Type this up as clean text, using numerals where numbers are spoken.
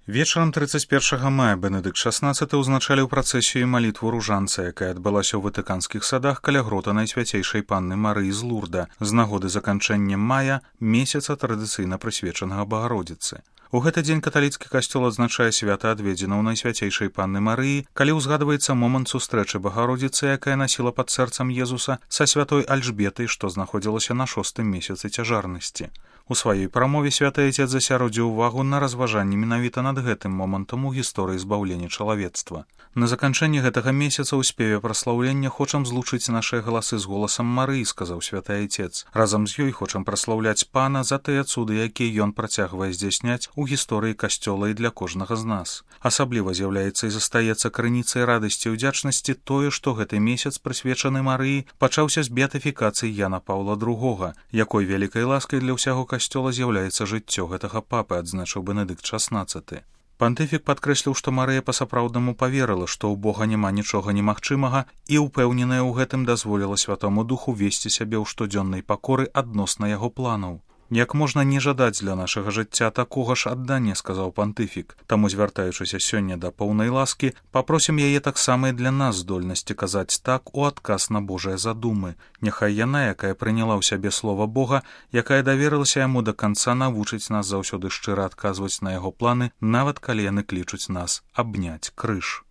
Вечарам 31 мая Бенедыкт XVI ўзначаліў працэсію малітву ружанца, якая адбылася ў ватыканскіх садах каля грота Найсвяцейшай Панны Марыі з Лурда з нагоды заканчэння мая, месяца традыцыйна прысвечанага Багародзіцы. У гэты дзень каталіцкі касцёл адзначае свята адведзенаў Найсвяцейшай Панны Марыі, калі ўзгадваецца момант сустрэчы Багародзіцы, якая насіла пад сэрцам Езуса са святой Альжбетай, што знаходзілася на 6-м месяцы цяжарнасці. У сваёй прамове святы Айцец засяродзіў увагу на разважанні менавіта над гэтым момантам у гісторыі збаўлення чалавецтва. На заканчэнне гэтага месяца ў спеве праслаўлення хочам злучыць нашыя галасы з голасам Марыі, сказаў святы Айцец. Разам з ёй хочам праслаўляць Пана за тыя цуды, якія ён працягвае здзяйсняць у гісторыі касцёла і для кожнага з нас. Асабліва з'яўляецца і застаецца крыніцай радасці і ўдзячнасці тое, што гэты месяц, прысвечаны Марыі, пачаўся з беатыфікацыі Яна Паўла II, якой вялікай ласкай для ўсяго касцёла з'яўляецца жыццё гэтага папы, адзначыў Бенедыкт XVI. Пантыфік падкрэсліў, што Марыя па-сапраўднаму паверыла, што ў Бога няма нічога немагчымага, і ўпэўненая ў гэтым дазволіла Святому Духу весці сябе ў штодзённай пакоры адносна яго планаў. Як можна не жадаць для нашага жыцця такога ж аддання, сказаў пантыфік. Таму, звяртаючыся сёння да поўнай ласкі, папросім яе таксама і для нас здольнасці казаць так у адказ на Божыя задумы. Няхай яна, якая прыняла ў сябе слова Бога, якая даверылася яму да канца, навучыць нас заўсёды шчыра адказваць на яго планы, нават калі яны клічуць нас абняць крыж.